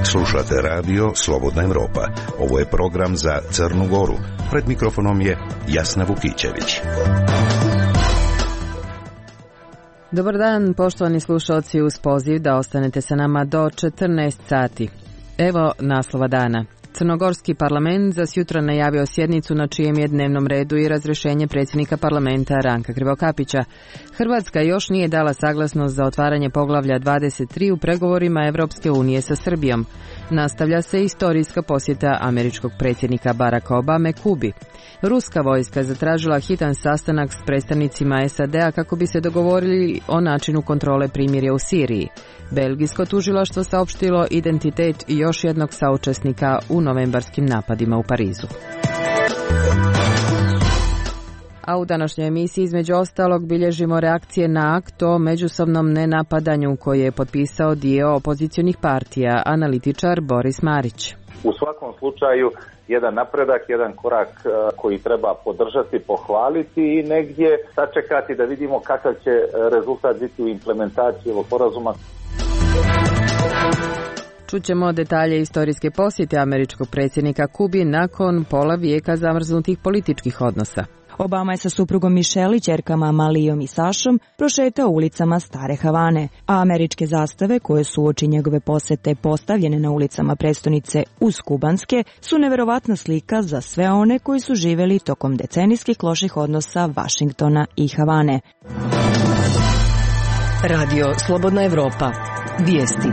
Slušate radio Slobodna Evropa. Ovo je program za Crnu Goru. Pred mikrofonom je Jasna Vukićević. Dobar dan, poštovani slušalci, uz poziv da ostanete sa nama do 14 sati. Evo naslova dana. Crnogorski parlament za sjutra najavio sjednicu na čijem je dnevnom redu i razrješenje predsjednika parlamenta Ranka Krivokapića. Hrvatska još nije dala saglasnost za otvaranje poglavlja 23 u pregovorima Europske unije sa Srbijom. Nastavlja se istorijska posjeta američkog predsjednika Baracka Obame Kubi. Ruska vojska zatražila hitan sastanak s predstavnicima SAD-a kako bi se dogovorili o načinu kontrole primirja u Siriji. Belgijsko tužilaštvo saopštilo identitet još jednog saučesnika u novembarskim napadima u Parizu. A u današnjoj emisiji između ostalog bilježimo reakcije na akt o međusobnom nenapadanju koji je potpisao dio opozicionih partija, analitičar Boris Marić. U svakom slučaju jedan napredak, jedan korak koji treba podržati, pohvaliti i negdje sačekati da vidimo kakav će rezultat biti u implementaciji ovog sporazuma. Čućemo detalje istorijske posjete američkog predsjednika Kubi nakon pola vijeka zamrznutih političkih odnosa. Obama je sa suprugom Michelle i ćerkama Malijom i Sašom prošetao ulicama Stare Havane, a američke zastave koje su uoči njegove posjete postavljene na ulicama prestonice uz kubanske su neverovatna slika za sve one koji su živjeli tokom decenijskih loših odnosa Vašingtona i Havane. Radio Slobodna Evropa. Vijesti.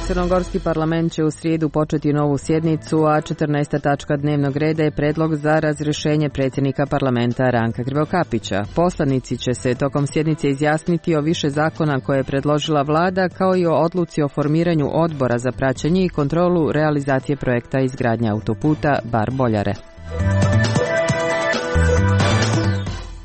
Crnogorski parlament će u srijedu početi novu sjednicu, a 14. tačka dnevnog reda je predlog za razrješenje predsjednika parlamenta Ranka Krivokapića. Poslanici će se tokom sjednice izjasniti o više zakona koje je predložila vlada, kao i o odluci o formiranju odbora za praćenje i kontrolu realizacije projekta izgradnje autoputa Bar-Boljare.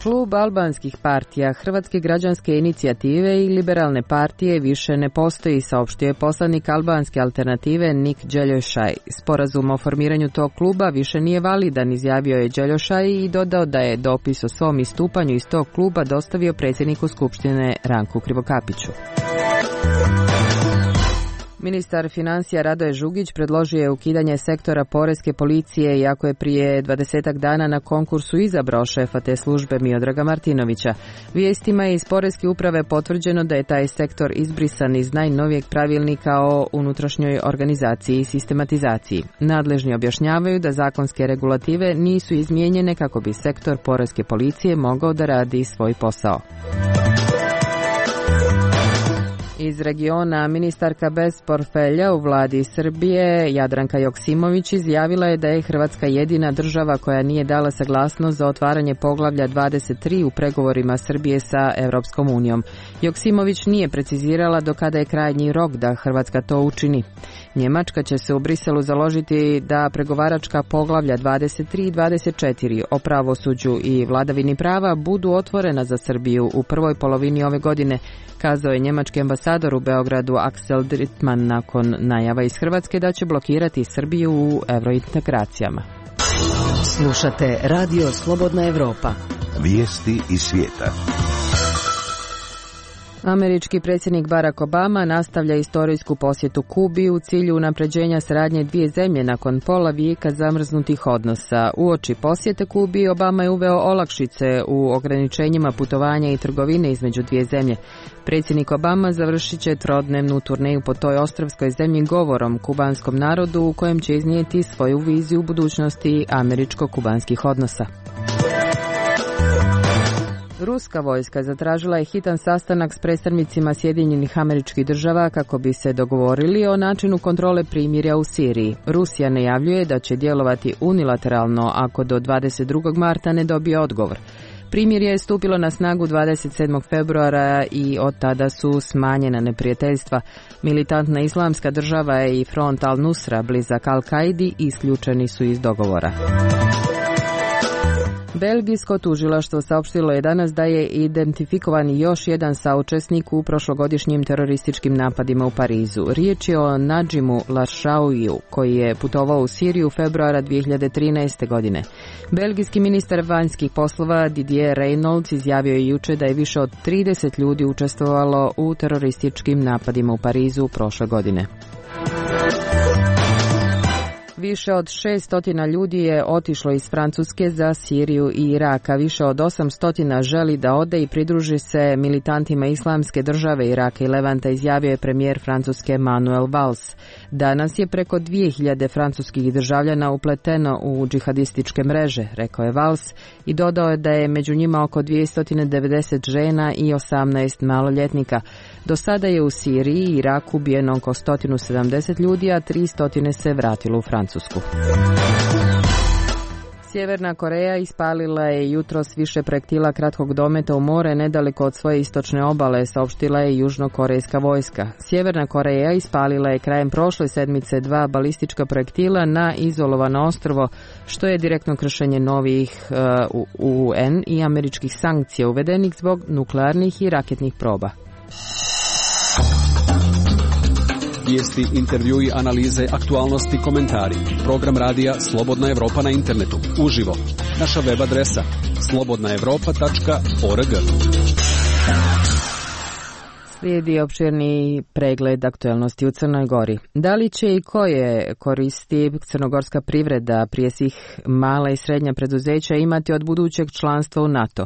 Klub albanskih partija, Hrvatske građanske inicijative i liberalne partije više ne postoji, saopštio je poslanik albanske alternative Nik Đeljošaj. Sporazum o formiranju tog kluba više nije validan, izjavio je Đeljošaj i dodao da je dopis o svom istupanju iz tog kluba dostavio predsjedniku Skupštine Ranku Krivokapiću. Ministar financija Radoje Žugić predložio je ukidanje sektora poreske policije, iako je prije 20 dana na konkursu izabrao šefa te službe Miodraga Martinovića. Vijestima je iz poreske uprave potvrđeno da je taj sektor izbrisan iz najnovijeg pravilnika o unutrašnjoj organizaciji i sistematizaciji. Nadležni objašnjavaju da zakonske regulative nisu izmijenjene kako bi sektor poreske policije mogao da radi svoj posao. Iz regiona ministarka bez portfelja u vladi Srbije Jadranka Joksimović izjavila je da je Hrvatska jedina država koja nije dala saglasnost za otvaranje poglavlja 23 u pregovorima Srbije sa Europskom unijom. Joksimović nije precizirala do kada je krajnji rok da Hrvatska to učini. Njemačka će se u Briselu založiti da pregovaračka poglavlja 23 i 24 o pravosuđu i vladavini prava budu otvorena za Srbiju u prvoj polovini ove godine, kazao je njemački ambasador u Beogradu Axel Drittmann nakon najava iz Hrvatske da će blokirati Srbiju u eurointegracijama. Slušate Radio Slobodna Evropa. Vijesti iz svijeta. Američki predsjednik Barack Obama nastavlja istorijsku posjetu Kubi u cilju unapređenja saradnje dvije zemlje nakon pola vijeka zamrznutih odnosa. Uoči posjete Kubi Obama je uveo olakšice u ograničenjima putovanja i trgovine između dvije zemlje. Predsjednik Obama završit će trodnevnu turneju po toj ostrvskoj zemlji govorom kubanskom narodu u kojem će iznijeti svoju viziju budućnosti američko-kubanskih odnosa. Ruska vojska zatražila je hitan sastanak s predstavnicima Sjedinjenih Američkih Država kako bi se dogovorili o načinu kontrole primirja u Siriji. Rusija najavljuje da će djelovati unilateralno ako do 22. marta ne dobije odgovor. Primirje je stupilo na snagu 27. februara i od tada su smanjena neprijateljstva. Militantna islamska država i front Al-Nusra blizak Al-Kaidi isključeni su iz dogovora. Belgijsko tužilaštvo saopštilo je danas da je identifikovan još jedan saučesnik u prošlogodišnjim terorističkim napadima u Parizu. Riječ je o Nadžimu Laršauiju, koji je putovao u Siriju februara 2013. godine. Belgijski ministar vanjskih poslova Didier Reynders izjavio je juče da je više od 30 ljudi učestvovalo u terorističkim napadima u Parizu prošle godine. Više od 600 ljudi je otišlo iz Francuske za Siriju i Irak, a više od 800 želi da ode i pridruži se militantima Islamske države Iraka i Levanta, izjavio je premijer Francuske Manuel Valls. Danas je preko 2000 francuskih državljana upleteno u džihadističke mreže, rekao je Valls, i dodao je da je među njima oko 290 žena i 18 maloljetnika. Do sada je u Siriji i Iraku ubijeno oko 170 ljudi, a 300 se vratilo u Francusku. Sjeverna Koreja ispalila je jutros više projektila kratkog dometa u more nedaleko od svoje istočne obale, saopštila je južnokorejska vojska. Sjeverna Koreja ispalila je krajem prošle sedmice 2 balistička projektila na izolovano ostrvo, što je direktno kršenje novih UN i američkih sankcija uvedenih zbog nuklearnih i raketnih proba. Vijesti, intervjui, analize, aktualnosti, komentari. Program radija Slobodna Evropa na internetu. Uživo. Naša web adresa slobodnaevropa.org. Slijedi opširni pregled aktualnosti u Crnoj Gori. Da li će i koje koristi crnogorska privreda, prije svih mala i srednja preduzeća, imati od budućeg članstva u NATO?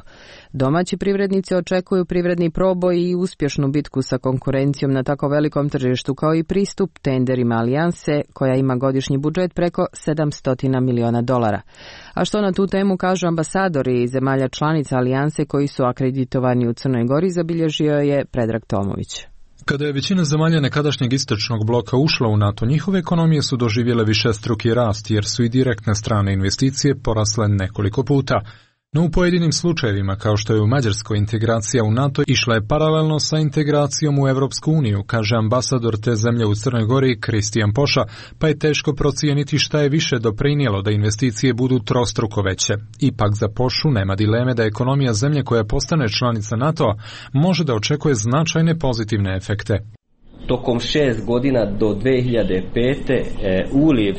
Domaći privrednici očekuju privredni proboj i uspješnu bitku sa konkurencijom na tako velikom tržištu, kao i pristup tenderima alijanse koja ima godišnji budžet preko $700 miliona. A što na tu temu kažu ambasadori zemalja članica alijanse koji su akreditovani u Crnoj Gori, zabilježio je Predrag Tomović. Kada je većina zemalja nekadašnjeg istočnog bloka ušla u NATO, njihove ekonomije su doživjele višestruki rast, jer su i direktne strane investicije porasle nekoliko puta. No u pojedinim slučajevima, kao što je u Mađarskoj, integracija u NATO išla je paralelno sa integracijom u Europsku uniju, kaže ambasador te zemlje u Crnoj Gori Kristijan Poša, pa je teško procijeniti šta je više doprinijelo da investicije budu trostruko veće. Ipak za Pošu nema dileme da ekonomija zemlje koja postane članica NATO-a može da očekuje značajne pozitivne efekte. Tokom 6 godina do 2005. Uliv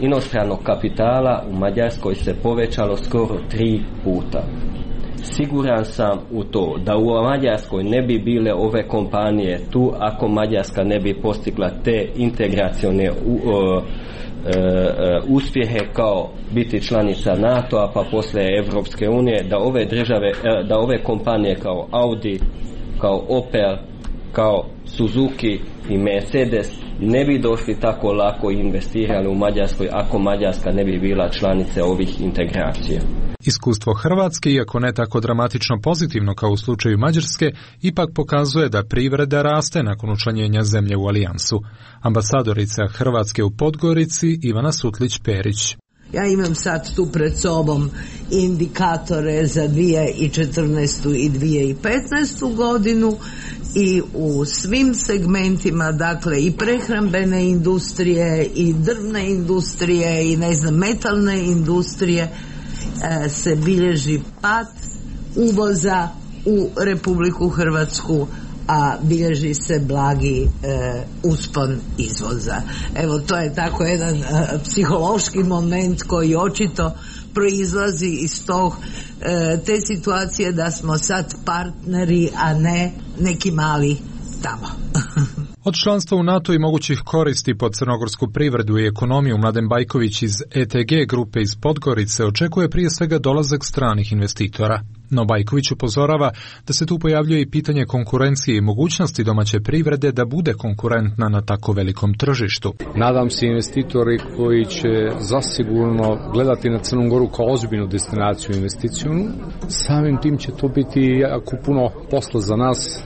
inostranog kapitala u Mađarskoj se povećalo skoro 3 puta. Siguran sam u to da u Mađarskoj ne bi bile ove kompanije tu ako Mađarska ne bi postigla te integracione uspjehe kao biti članica NATO-a pa poslije Evropske unije, da ove kompanije kao Audi, kao Opel, kao Suzuki i Mercedes ne bi došli tako lako i investirali u Mađarskoj ako Mađarska ne bi bila članica ovih integracija. Iskustvo Hrvatske, iako ne tako dramatično pozitivno kao u slučaju Mađarske, ipak pokazuje da privreda raste nakon učlanjenja zemlje u alijansu. Ambasadorica Hrvatske u Podgorici Ivana Sutlić-Perić. Ja imam sad tu pred sobom indikatore za 2014. i 2015. godinu i u svim segmentima, dakle i prehrambene industrije i drvne industrije i metalne industrije se bilježi pad uvoza u Republiku Hrvatsku, a bilježi se blagi uspon izvoza. Evo, to je tako jedan psihološki moment koji očito proizlazi iz te situacije da smo sad partneri, a ne neki mali tamo. Od članstva u NATO i mogućih koristi po crnogorsku privredu i ekonomiju Mladen Bajković iz ETG grupe iz Podgorice očekuje prije svega dolazak stranih investitora. No Bajković upozorava da se tu pojavljuje i pitanje konkurencije i mogućnosti domaće privrede da bude konkurentna na tako velikom tržištu. Nadam se investitori koji će zasigurno gledati na Crnu Goru kao ozbiljnu destinaciju investicijonu. Samim tim će to biti jako puno posla za nas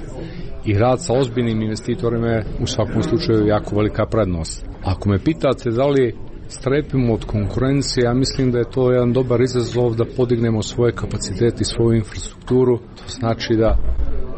i rad sa ozbiljnim investitorima je u svakom slučaju jako velika prednost. Ako me pitate da li strepimo od konkurencije, ja mislim da je to jedan dobar izazov da podignemo svoje kapacitete i svoju infrastrukturu. To znači da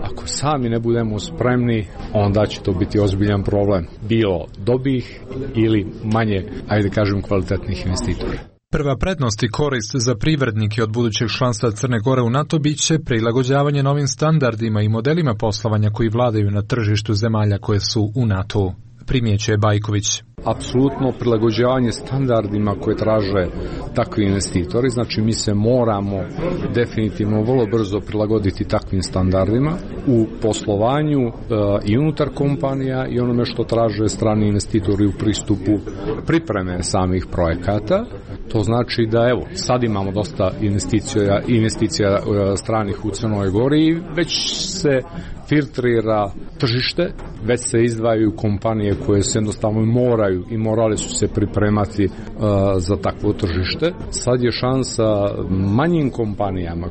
ako sami ne budemo spremni, onda će to biti ozbiljan problem. Bilo dobih ili manje, ajde kažem, kvalitetnih investitora. Prva prednost i korist za privrednike od budućeg članstva Crne Gore u NATO bit će prilagođavanje novim standardima i modelima poslovanja koji vladaju na tržištu zemalja koje su u NATO-u, primjećuje Bajković. Apsolutno prilagođavanje standardima koje traže takvi investitori, znači mi se moramo definitivno vrlo brzo prilagoditi takvim standardima u poslovanju i unutar kompanija i onome što traže strani investitori u pristupu pripreme samih projekata. To znači da evo, sad imamo dosta investicija stranih u Crnoj Gori i već se filtrira tržište, već se izdvajaju kompanije koje se jednostavno moraju i morale su se pripremati za takvo tržište. Sad je šansa manjim kompanijama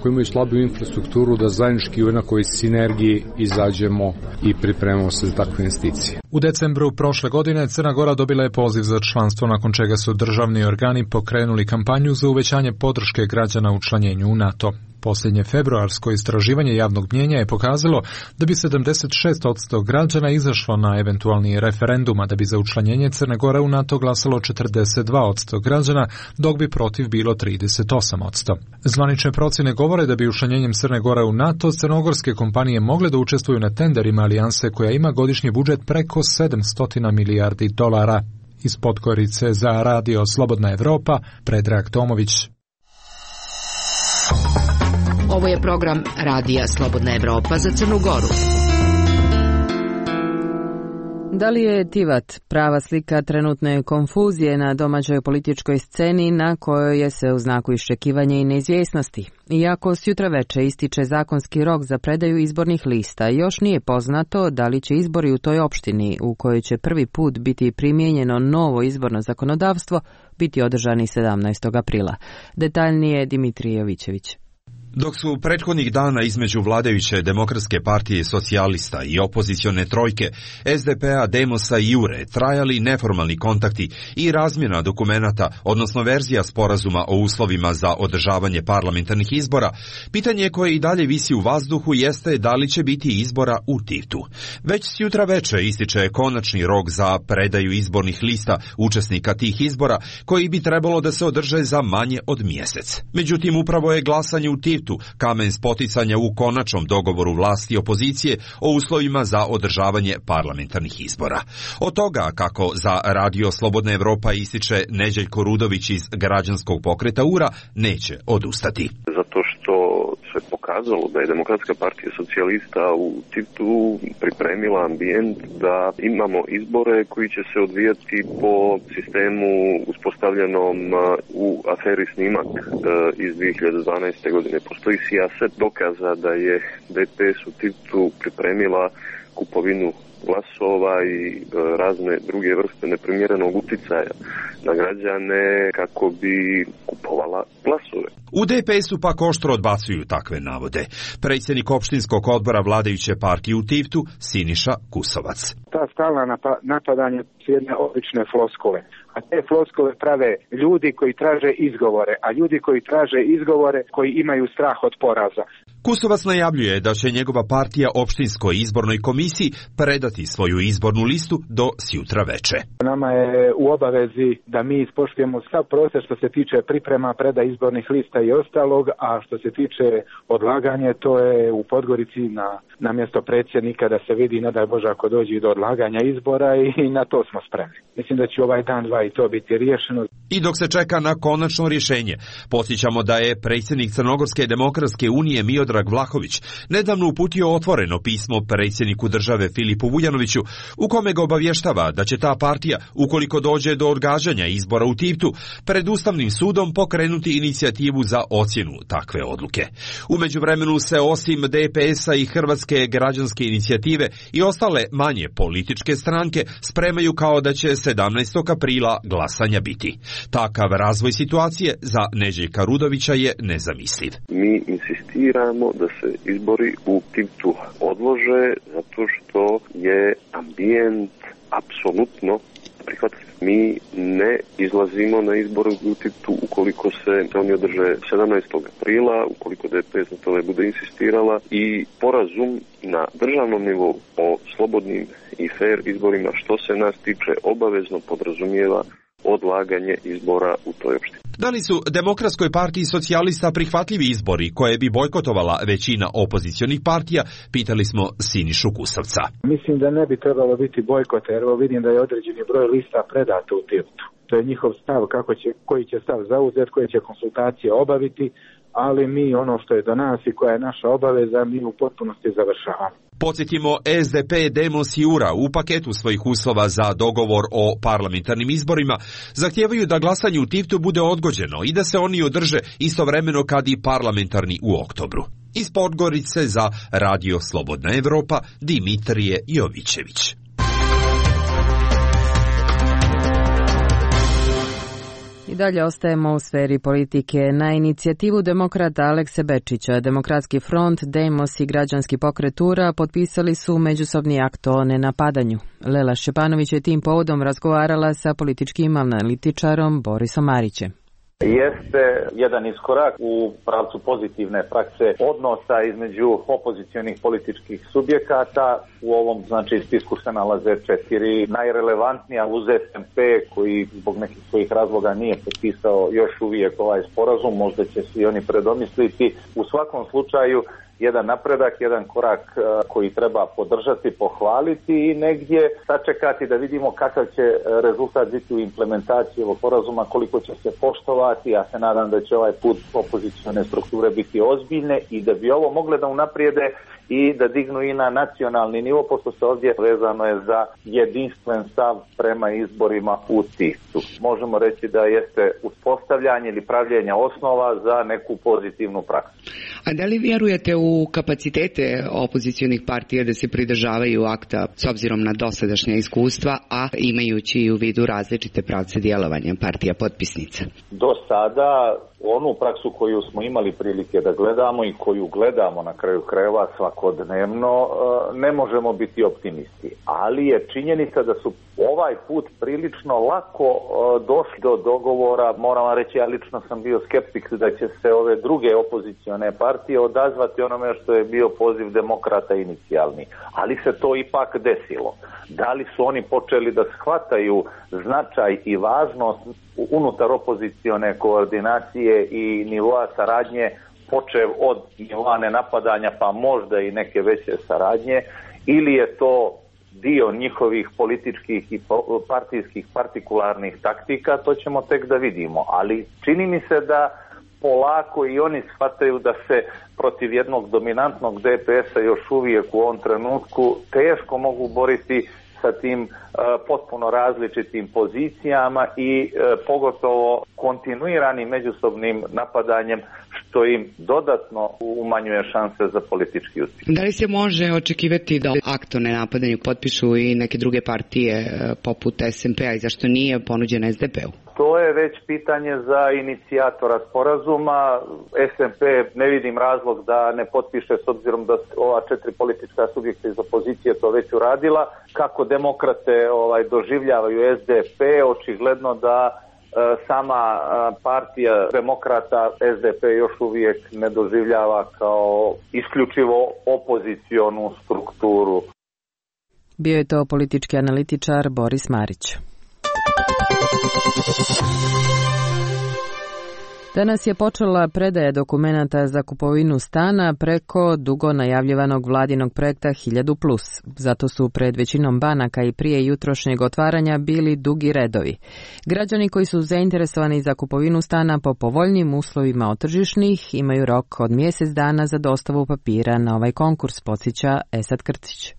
koje imaju slabiju infrastrukturu da zajednički u nekoj sinergiji izađemo i pripremamo se za takve investicije. U decembru prošle godine Crna Gora dobila je poziv za članstvo, nakon čega su državni organi pokrenuli kampanju za uvećanje podrške građana učlanjenju u NATO. Posljednje februarsko istraživanje javnog mnijenja je pokazalo da bi 76% građana izašlo na eventualni referendum, a da bi za učlanjenje Crne Gore u NATO glasalo 42% građana, dok bi protiv bilo 38%. Zvanične procjene govore da bi učlanjenjem Crne Gore u NATO crnogorske kompanije mogle da učestvuju na tenderima alijanse koja ima godišnji budžet preko 700 milijardi dolara. Iz Podgorice za Radio Slobodna Evropa, Predrag Tomović. Ovo je program Radija Slobodna Evropa za Crnu Goru. Da li je Tivat prava slika trenutne konfuzije na domaćoj političkoj sceni na kojoj je se u znaku iščekivanja i neizvjesnosti? Iako s jutra veče ističe zakonski rok za predaju izbornih lista, još nije poznato da li će izbori u toj opštini, u kojoj će prvi put biti primijenjeno novo izborno zakonodavstvo, biti održani 17. aprila. Detaljnije Dimitrij Jovićević. Dok su prethodnih dana između vladajuće Demokratske partije socijalista i opozicione trojke SDP-a, Demosa i Jure trajali neformalni kontakti i razmjena dokumenata, odnosno verzija sporazuma o uslovima za održavanje parlamentarnih izbora, pitanje koje i dalje visi u vazduhu jeste da li će biti izbora u Tivtu. Već s jutra veče ističe konačni rok za predaju izbornih lista učesnika tih izbora, koji bi trebalo da se održe za manje od mjesec. Međutim, upravo je glasanje u Tivtu kamen spoticanja u konačnom dogovoru vlasti i opozicije o uslovima za održavanje parlamentarnih izbora. Od toga, kako za Radio Slobodna Evropa ističe Neđeljko Rudović iz građanskog pokreta URA, neće odustati. Zato što se pokazalo da je Demokratska partija socijalista u Tivtu pripremila ambijent da imamo izbore koji će se odvijati po sistemu uspostavljenom u aferi Snimak iz 2012. godine. Postoji sijaset dokaza da je DPS u Tivtu pripremila kupovinu glasova i razne druge vrste neprimjerenog uticaja na građane kako bi kupovala glasove. U DPS-u pak oštro odbacuju takve navode. Predsjednik opštinskog odbora vladajuće partije u Tivtu, Siniša Kusovac. Ta stalna napadanje su jedne obične floskule. A te floskule prave ljudi koji traže izgovore, a ljudi koji traže izgovore koji imaju strah od poraza. Kusovac najavljuje da će njegova partija opštinskoj izbornoj komisiji predati svoju izbornu listu do sjutra veče. Nama je u obavezi da mi ispoštujemo sav proces što se tiče priprema, preda izbornih lista i ostalog, a što se tiče odlaganja, to je u Podgorici na mjesto predsjednika da se vidi, ne daj Bože, ako dođe do odlaganja izbora, i na to smo spremni. Mislim da će ovaj dan, dva i to biti riješeno. I dok se čeka na konačno rješenje, podsjećamo da je predsjednik Crnogorske demokratske unije Miodrag Vlahović nedavno uputio otvoreno pismo predsjedniku države Filipu Vujanoviću, u kome ga obavještava da će ta partija, ukoliko dođe do odgađanja izbora u Tivtu, pred Ustavnim sudom pokrenuti inicijativu za ocjenu takve odluke. U međuvremenu se osim DPS-a i Hrvatske građanske inicijative i ostale manje političke stranke spremaju kao da će 17. aprila glasanja biti. Takav razvoj situacije za Neđeljka Rudovića je nezamisliv. Mi insistiramo da se izbori u Tivtu odlože zato što je ambijent apsolutno prihvatljiv. Mi ne izlazimo na izbore u Tivtu ukoliko se oni održe 17. aprila, ukoliko DPS na tome bude insistirala, i porazum na državnom nivou o slobodnim i fair izborima što se nas tiče obavezno podrazumijeva odlaganje izbora u toj opštini. Da li su Demokratskoj partiji socijalista prihvatljivi izbori koje bi bojkotovala većina opozicionih partija, pitali smo Sinišu Kusavca. Mislim da ne bi trebalo biti bojkot, jer vidim da je određeni broj lista predato u Tivtu. To je njihov stav, koji će stav zauzeti, koje će konsultacije obaviti, ali mi ono što je do nas i koja je naša obaveza, mi u potpunosti završavamo. Podsjetimo, SDP, Demos i URA u paketu svojih uslova za dogovor o parlamentarnim izborima zahtijevaju da glasanje u Tivtu bude odgođeno i da se oni održe istovremeno kad i parlamentarni u oktobru. Iz Podgorice za Radio Slobodna Evropa, Dimitrije Jovićević. I dalje ostajemo u sferi politike. Na inicijativu demokrata Alekse Bečića, Demokratski front, Demos i Građanski pokret URA potpisali su međusobni akt o nenapadanju. Lela Šćepanović je tim povodom razgovarala sa političkim analitičarom Borisom Marićem. Jeste jedan iskorak u pravcu pozitivne prakse odnosa između opozicionih političkih subjekata. U ovom spisku se nalaze 4 najrelevantnija uz SMP koji zbog nekih svojih razloga nije potpisao još uvijek ovaj sporazum, možda će se i oni predomisliti. U svakom slučaju jedan napredak, jedan korak koji treba podržati, pohvaliti i negdje sačekati da vidimo kakav će rezultat biti u implementaciji ovog sporazuma, koliko će se poštovati. Ja se nadam da će ovaj put opozicione strukture biti ozbiljne i da bi ovo mogle da unaprijede i da dignu i na nacionalni nivo, pošto se ovdje vezano je za jedinstven stav prema izborima u Tivtu. Možemo reći da jeste uspostavljanje ili pravljenje osnova za neku pozitivnu praksu. A da li vjerujete u kapacitete opozicionih partija da se pridržavaju akta s obzirom na dosadašnja iskustva, a imajući u vidu različite pravce djelovanja partija potpisnica? Do sada onu praksu koju smo imali prilike da gledamo i koju gledamo na kraju krajeva svakodnevno, ne možemo biti optimisti. Ali je činjenica da su ovaj put prilično lako došli do dogovora. Moram vam reći, ja lično sam bio skeptik da će se ove druge opozicione partije odazvati onome što je bio poziv demokrata inicijalni. Ali se to ipak desilo. Da li su oni počeli da shvataju značaj i važnost unutar opozicione koordinacije i nivoa saradnje, počev od nivoa nenapadanja pa možda i neke veće saradnje, ili je to dio njihovih političkih i partijskih partikularnih taktika, to ćemo tek da vidimo. Ali čini mi se da polako i oni shvataju da se protiv jednog dominantnog DPS-a još uvijek u ovom trenutku teško mogu boriti sa tim potpuno različitim pozicijama i pogotovo kontinuiranim međusobnim napadanjem, što im dodatno umanjuje šanse za politički uspjeh. Da li se može očekivati da akt o nenapadanju potpišu i neke druge partije poput SMP-a i zašto nije ponuđen SDP-u? To je već pitanje za inicijatora sporazuma. SMP ne vidim razlog da ne potpiše, s obzirom da ova 4 politička subjekta iz opozicije to već uradila. Kako demokrate doživljavaju SDP, očigledno da sama partija demokrata SDP još uvijek ne doživljava kao isključivo opozicionu strukturu. Bio je to politički analitičar Boris Marić. Danas je počela predaja dokumenata za kupovinu stana preko dugo najavljivanog vladinog projekta 1000+. Zato su pred većinom banaka i prije jutrošnjeg otvaranja bili dugi redovi. Građani koji su zainteresovani za kupovinu stana po povoljnim uslovima od tržišnih imaju rok od mjesec dana za dostavu papira na ovaj konkurs, podsjeća Esad Krcić.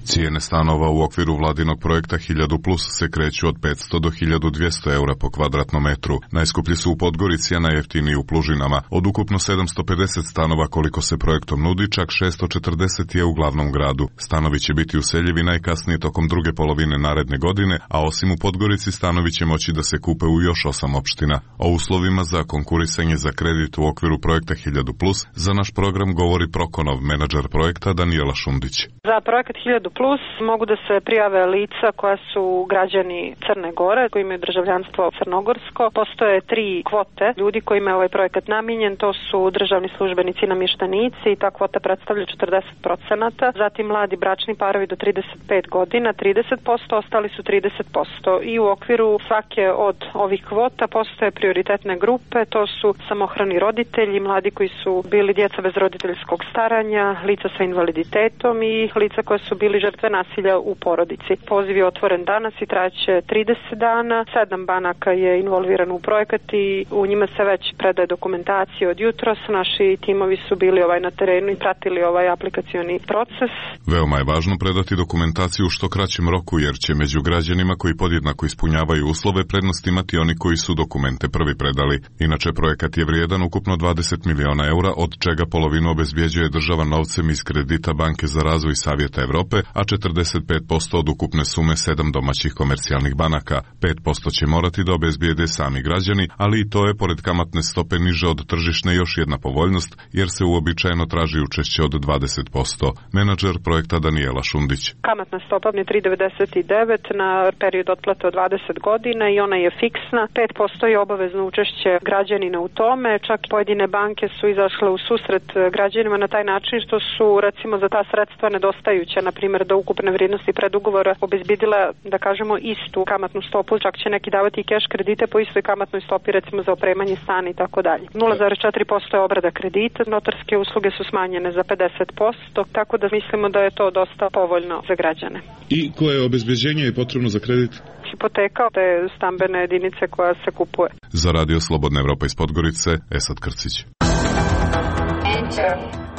Cijene stanova u okviru vladinog projekta 1000+ se kreću od 500 do 1200 eura po kvadratnom metru. Najskuplji su u Podgorici, a najjeftiniji u Plužinama. Od ukupno 750 stanova koliko se projektom nudi, čak 640 je u glavnom gradu. Stanovi će biti useljivi najkasnije tokom druge polovine naredne godine, a osim u Podgorici stanovi će moći da se kupe u još 8 opština. O uslovima za konkurisanje za kredit u okviru projekta 1000+ za naš program govori Prokonov, menadžer projekta Danijela Šundić. Za projekat 1000+ plus mogu da se prijave lica koja su građani Crne Gore, koji imaju državljanstvo crnogorsko. Postoje 3 kvote ljudi kojima je ovaj projekat namijenjen, to su državni službenici i namještenici i ta kvota predstavlja 40%, zatim mladi bračni parovi do 35 godina 30%, ostali su 30%. I u okviru svake od ovih kvota postoje prioritetne grupe, to su samohrani roditelji, mladi koji su bili djeca bez roditeljskog staranja, lica sa invaliditetom i lica koja su bili žrtve nasilja u porodici. Poziv je otvoren danas i trajaće 30 dana. 7 banaka je involvirano u projekat i u njima se već predaje dokumentacija od jutros. Naši timovi su bili na terenu i pratili ovaj aplikacioni proces. Veoma je važno predati dokumentaciju u što kraćem roku, jer će među građanima koji podjednako ispunjavaju uslove prednost imati oni koji su dokumente prvi predali. Inače, projekat je vrijedan ukupno 20 miliona eura, od čega polovinu obezbjeđuje država novcem iz kredita Banke za razvoj Savjeta Evrope, a 45% od ukupne sume 7 domaćih komercijalnih banaka. 5% će morati da obezbijede sami građani, ali i to je pored kamatne stope niže od tržišne još jedna povoljnost, jer se uobičajeno traži učešće od 20%. Menadžer projekta Danijela Šundić. Kamatna stopa je 3,99 na period otplate od 20 godina i ona je fiksna. 5% je obavezno učešće građanina u tome. Čak pojedine banke su izašle u susret građanima na taj način što su recimo za ta sredstva nedostajuća, na primjer do ukupne vrijednosti predugovora obezbidila, da kažemo, istu kamatnu stopu, čak će neki davati i keš kredite po istoj kamatnoj stopi, recimo za opremanje stana i tako dalje. 0,4% je obrada kredita, notarske usluge su smanjene za 50%, tako da mislimo da je to dosta povoljno za građane. I koje obezbeđenje je potrebno za kredit? Hipoteka, te stambene jedinice koja se kupuje. Za Radio Slobodna Evropa iz Podgorice, Esad Krcić.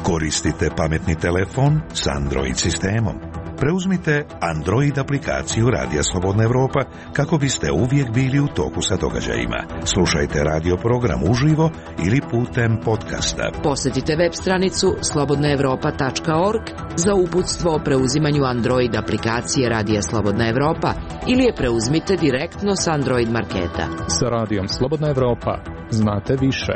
Koristite pametni telefon s Android sistemom. Preuzmite Android aplikaciju Radija Slobodna Evropa kako biste uvijek bili u toku sa događajima. Slušajte radio program uživo ili putem podcasta. Posjetite web stranicu slobodnaevropa.org za uputstvo o preuzimanju Android aplikacije Radija Slobodna Evropa ili je preuzmite direktno s Android marketa. Sa Radijom Slobodna Evropa znate više.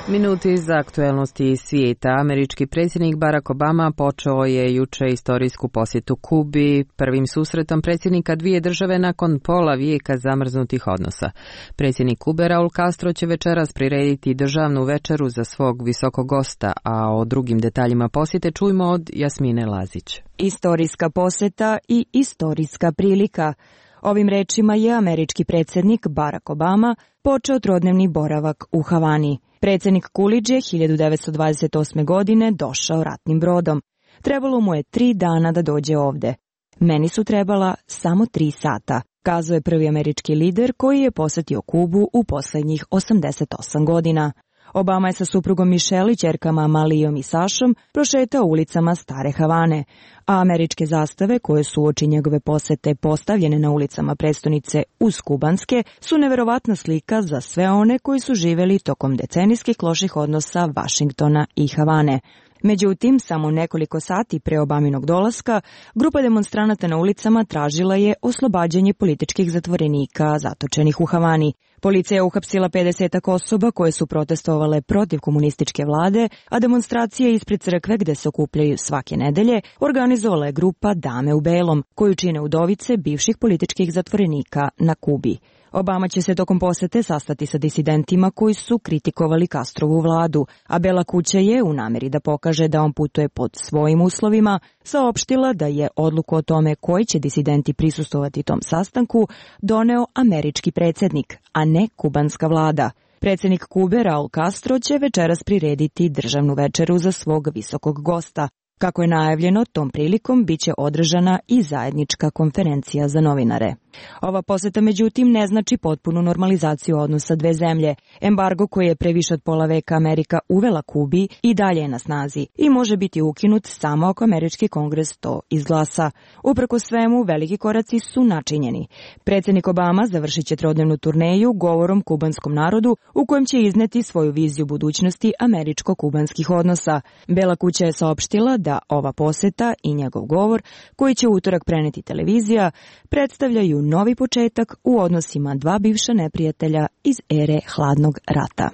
Minuti za aktuelnosti svijeta. Američki predsjednik Barack Obama počeo je juče istorijsku posjetu Kubi, prvim susretom predsjednika dvije države nakon pola vijeka zamrznutih odnosa. Predsjednik Kube Raul Castro će večeras prirediti državnu večeru za svog visokog gosta, a o drugim detaljima posjete čujmo od Jasmine Lazić. Istorijska posjeta i istorijska prilika. Ovim rečima je američki predsjednik Barack Obama počeo trodnevni boravak u Havani. Predsjednik Coolidge je 1928. godine došao ratnim brodom. Trebalo mu je 3 dana da dođe ovde. Meni su trebala samo 3 sata, kazao je prvi američki lider koji je posjetio Kubu u posljednjih 88 godina. Obama je sa suprugom Michelle i ćerkama Malijom i Sašom prošetao ulicama Stare Havane, a američke zastave koje su uoči njegove posjete postavljene na ulicama prestonice uz kubanske su neverovatna slika za sve one koji su živjeli tokom decenijskih loših odnosa Vašingtona i Havane. Međutim, samo nekoliko sati pre Obaminog dolaska, grupa demonstranata na ulicama tražila je oslobađanje političkih zatvorenika zatočenih u Havani. Policija je uhapsila 50 osoba koje su protestovale protiv komunističke vlade, a demonstracije ispred crkve gde se okupljaju svake nedelje organizovala je grupa Dame u belom, koju čine udovice bivših političkih zatvorenika na Kubi. Obama će se tokom posete sastati sa disidentima koji su kritikovali Castrovu vladu, a Bela kuća je, u namjeri da pokaže da on putuje pod svojim uslovima, saopštila da je odluku o tome koji će disidenti prisustovati tom sastanku doneo američki predsjednik, a ne kubanska vlada. Predsjednik Kube Raul Castro će večeras prirediti državnu večeru za svog visokog gosta. Kako je najavljeno, tom prilikom biće održana i zajednička konferencija za novinare. Ova posjeta međutim ne znači potpunu normalizaciju odnosa dve zemlje. Embargo koji je pre više od pola veka Amerika uvela Kubi i dalje je na snazi i može biti ukinut samo ako američki kongres to izglasa. Uprkos svemu, veliki koraci su načinjeni. Predsjednik Obama završit će trodnevnu turneju govorom kubanskom narodu u kojem će izneti svoju viziju budućnosti američko-kubanskih odnosa. Bela kuća je saopštila da ova posjeta i njegov govor, koji će utorak preneti televizija, predstavljaju novi početak u odnosima dva bivša neprijatelja iz ere hladnog rata.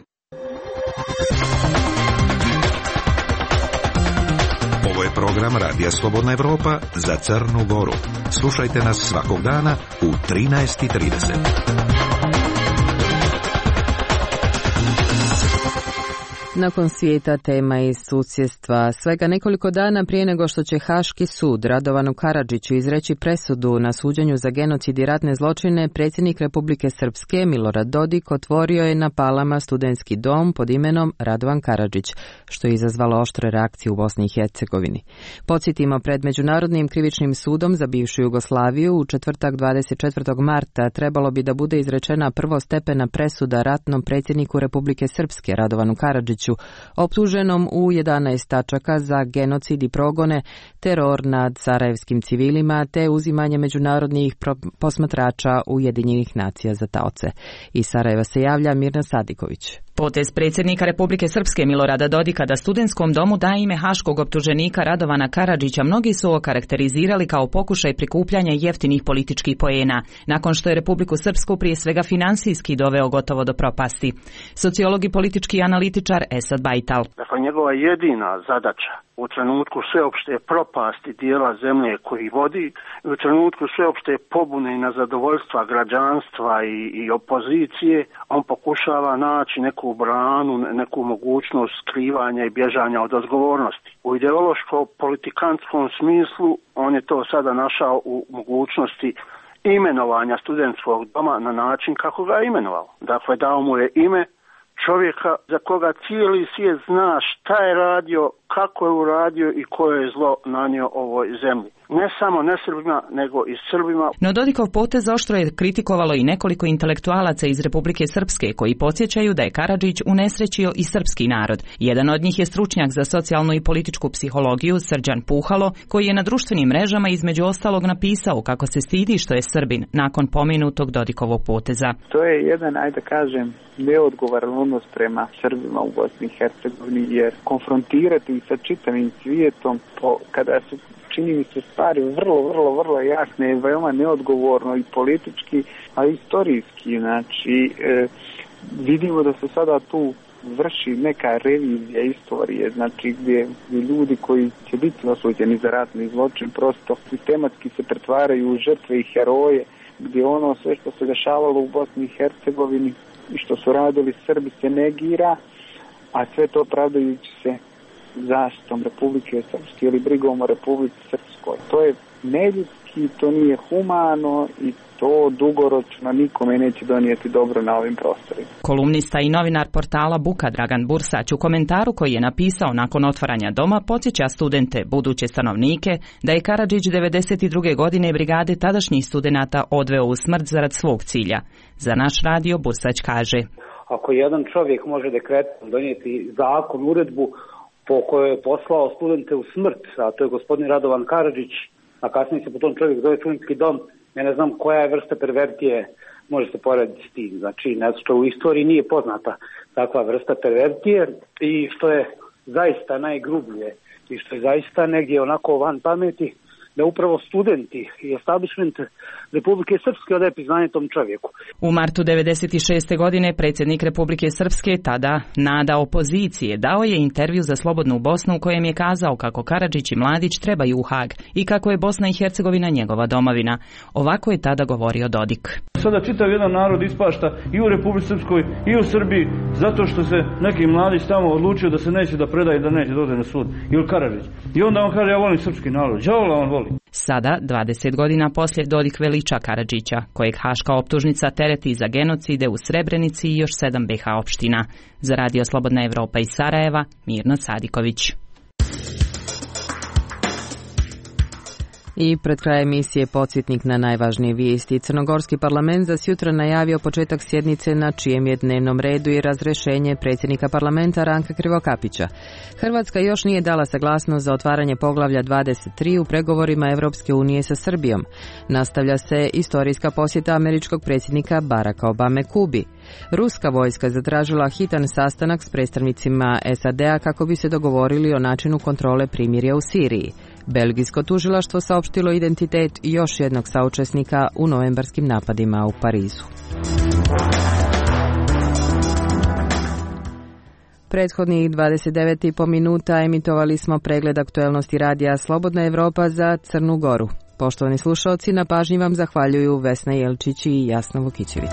program Radija Slobodna Evropa za Crnu Goru. Slušajte nas svakog dana u 13:30. Nakon svijeta tema iz susjedstva, svega nekoliko dana prije nego što će Haški sud Radovanu Karadžiću izreći presudu na suđenju za genocid i ratne zločine, predsjednik Republike Srpske Milorad Dodik otvorio je na Palama studentski dom pod imenom Radovan Karadžić, što je izazvalo oštre reakcije u Bosni i Hercegovini. Podsjetimo, pred Međunarodnim krivičnim sudom za bivšu Jugoslaviju u četvrtak 24. marta trebalo bi da bude izrečena prvostepena presuda ratnom predsjedniku Republike Srpske Radovanu Karadžiću, optuženom u 11 tačaka za genocid i progone, teror nad sarajevskim civilima te uzimanje međunarodnih posmatrača Ujedinjenih nacija za taoce. Iz Sarajeva se javlja Mirna Sadiković. Potez predsjednika Republike Srpske Milorada Dodika da studentskom domu da ime haškog optuženika Radovana Karadžića mnogi su okarakterizirali kao pokušaj prikupljanja jeftinih političkih poena, nakon što je Republiku Srpsku prije svega finansijski doveo gotovo do propasti. Sociolog i politički analitičar Esad Bajtal. Dakle, njegova jedina zadaća u trenutku sveopšte propasti dijela zemlje koji vodi i u trenutku sveopšte pobune i nezadovoljstva građanstva i opozicije, on pokušava naći neku branu, neku mogućnost skrivanja i bježanja od odgovornosti. U ideološko-politikantskom smislu on je to sada našao u mogućnosti imenovanja studentskog doma na način kako ga je imenovao. Dakle, dao mu je ime čovjeka za koga cijeli svijet zna šta je radio, kako je uradio i koje je zlo nanio ovoj zemlji. Ne samo nesrbima, nego i Srbima. No Dodikov potez oštro je kritikovalo i nekoliko intelektualaca iz Republike Srpske koji podsjećaju da je Karadžić unesrećio i srpski narod. Jedan od njih je stručnjak za socijalnu i političku psihologiju Srđan Puhalo, koji je na društvenim mrežama između ostalog napisao kako se stidi što je Srbin nakon pomenutog Dodikovog poteza. To je jedan, ajde kažem, neodgovoran odnos prema Srbima u Bosni i Hercegovini, jer konfrontirati sa čitavim svijetom kada su, čini mi se, stvari vrlo jasne i veoma neodgovorno i politički, a i istorijski. Znači, vidimo da se sada tu vrši neka revizija istorije, znači gdje ljudi koji će biti osuđeni za ratni zločin prosto sistematski se pretvaraju u žrtve i heroje, gdje ono sve što se dešavalo u Bosni i Hercegovini i što su radili Srbi se negira, a sve to pravdajući se zaštitom Republike Srpske ili brigom o Republici Srpskoj. To je neljudski, to nije humano i to dugoročno nikome neće donijeti dobro na ovim prostorima. Kolumnista i novinar portala Buka Dragan Bursać u komentaru koji je napisao nakon otvaranja doma podsjeća studente, buduće stanovnike, da je Karadžić 92. godine brigade tadašnjih studenata odveo u smrt zarad svog cilja. Za naš radio Bursać kaže: ako jedan čovjek može dekretom donijeti zakon, uredbu po kojoj je poslao studente u smrt, a to je gospodin Radovan Karadžić, a kasnije se po tom čovjek zove studentski dom, ja ne znam koja je vrsta perverzije može se porediti s tim. Znači, nešto u istoriji nije poznata takva vrsta perverzije i što je zaista najgrublje i što je zaista negdje onako van pameti, da upravo studenti i establishment Republike Srpske odaje priznanje tom čovjeku. U martu 1996. godine predsjednik Republike Srpske, tada nada opozicije, dao je intervju za Slobodnu Bosnu u kojem je kazao kako Karadžić i Mladić trebaju u Hag i kako je Bosna i Hercegovina njegova domovina. Ovako je tada govorio Dodik. Sada čitav jedan narod ispašta i u Republici Srpskoj i u Srbiji zato što se neki Mladić tamo odlučio da se neće da predaje, da neće dođe na sud. Ili Karadžić. I onda on kaže: ja volim srpski narod. Đavola on voli. Sada, 20 godina poslije, Dodik veliča Karadžića, kojeg haška optužnica tereti za genocide u Srebrenici i još 7 BiH opština. Za Radio Slobodna Evropa iz Sarajeva, Mirna Sadiković. I pred kraj emisije podsjetnik na najvažnije vijesti. Crnogorski parlament za sutra najavio početak sjednice na čijem je dnevnom redu i razrješenje predsjednika parlamenta Ranka Krivokapića. Hrvatska još nije dala saglasnost za otvaranje poglavlja 23 u pregovorima Europske unije sa Srbijom. Nastavlja se istorijska posjeta američkog predsjednika Baracka Obame Kubi. Ruska vojska zatražila hitan sastanak s predstavnicima SAD-a kako bi se dogovorili o načinu kontrole primirja u Siriji. Belgijsko tužilaštvo saopštilo identitet još jednog saučesnika u novembarskim napadima u Parizu. Prethodnih 29,5 minuta emitovali smo pregled aktuelnosti radija Slobodna Evropa za Crnu Goru. Poštovani slušalci, na pažnji vam zahvaljuju Vesna Jelčić i Jasna Vukićević.